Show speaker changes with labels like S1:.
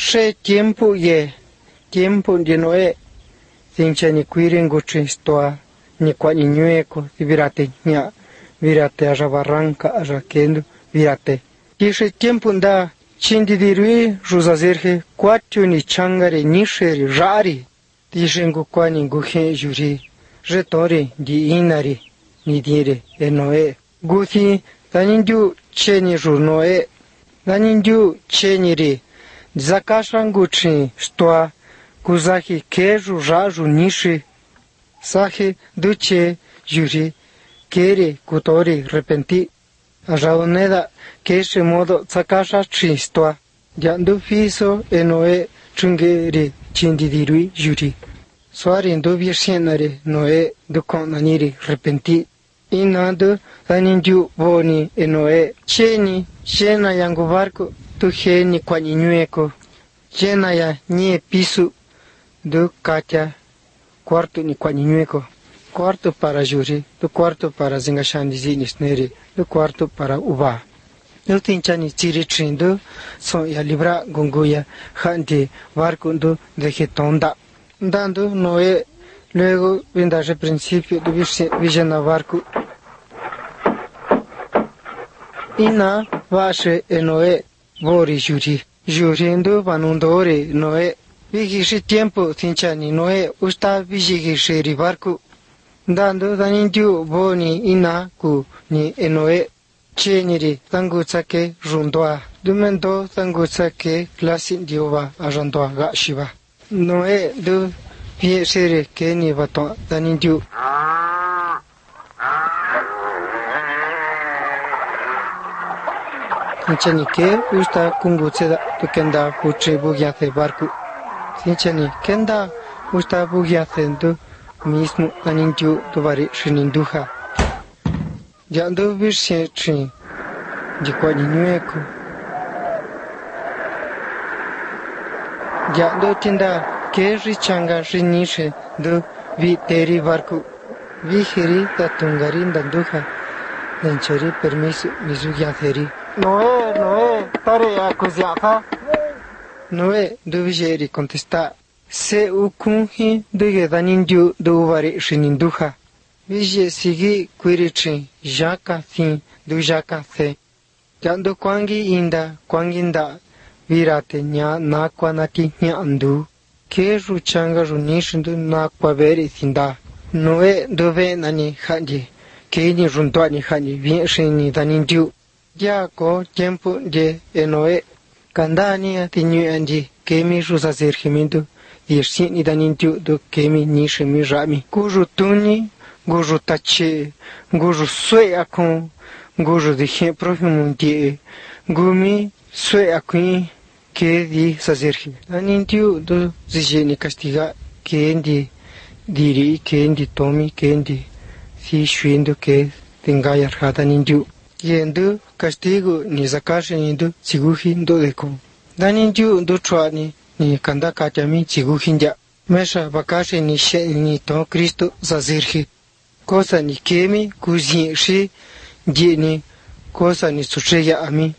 S1: she tiempo de Noé, sincha ni cuiren gochistoa, ni cuani ñueco, virate ña, virate a barranca, a kendo, virate. Tishe tiempo da, chindidirui, rusazerge, quatio ni changare, nisheri, rari, tishengo quani guhe juri, retore, di inari, ni dire, e Noé. Guthi, danindu cheni ru Noé, danindu cheni ri, zakashanguchi, stoa, kuzahi keju raju nishi, sahi duche juri, kere kutori repenti, raoneda keshe modo zakasha chistoa, yandu fiso e Noé chungeri chindidirui juri. Suari ndu virsienare Noé dukonaniri repenti, inadu danindu boni e Noé, cheni, chena yangu barco, tu geni kwani ñueco, chena ya nie pisu, do katia, quarto ni kwani ñueco, quarto para juri, do quarto para zingashandi nisneri, do quarto para uba. Do tinchani chiri chindo, son ya libra gunguya, handi barco do vegetonda. Dando Noé, luego vendaje principio do villana barco. Ina vashe e Noé, vori juri. Juriendo vanundore Noé. Vigishi tiempo tinchani Noé usta vigishiri barco. Dando danindu boni ina ku ni e Noé. Cheniri tangutsake rundoa. Dumendo tangutsake clasin diova a rundoa gashiva. Noé do viesere ke ni vato danindu. Sinchani ke usta kungutseda tu kenda puche bugiace barco. Sinchani kenda usta bugiace do mismo danindu tuvari shininduja. Yando virse chin di kwani ñueco. Yando tinda ke richanga rinishe do viteri barco. Vigiri da tungarin danduja. Dancheri permiso misugiaceri. Noé, tare a coziata. Noé, dovigeri contesta. Se ukunhi duge danindu duvari shininduja. Vige sigi quirichi, jaka thin, du jaka the. Yando kwanginda, virate nya nakwa nati nya andu. Ke ruchanga runishindu nakwa veri thinda. Noé dove nani handi. Ke ni rundoani handi, vienshini danindu. Ya ko tiempo de Noé, kandani atinu andi, kemi rusazergimiento, dirsini danindu do kemi nishimi rami. Kuju tuni, guju tache, guju sue akon, guju de profumo die, gumi sue akun, ke di sazergi. Danindu do zigeni castiga, ke endi diri, ke endi tomi, ke endi si shuendo ke tengayar hadanindu. Yendo castigo ni zakashe nindo tsiguhin do deko. Danindu do chuani ni kanda katyami tsiguhin ja. Mesha bakashe ni she ni to Cristo zazirhi. Cosa ni kemi kuzin shi di ni cosa ni sucheya ami.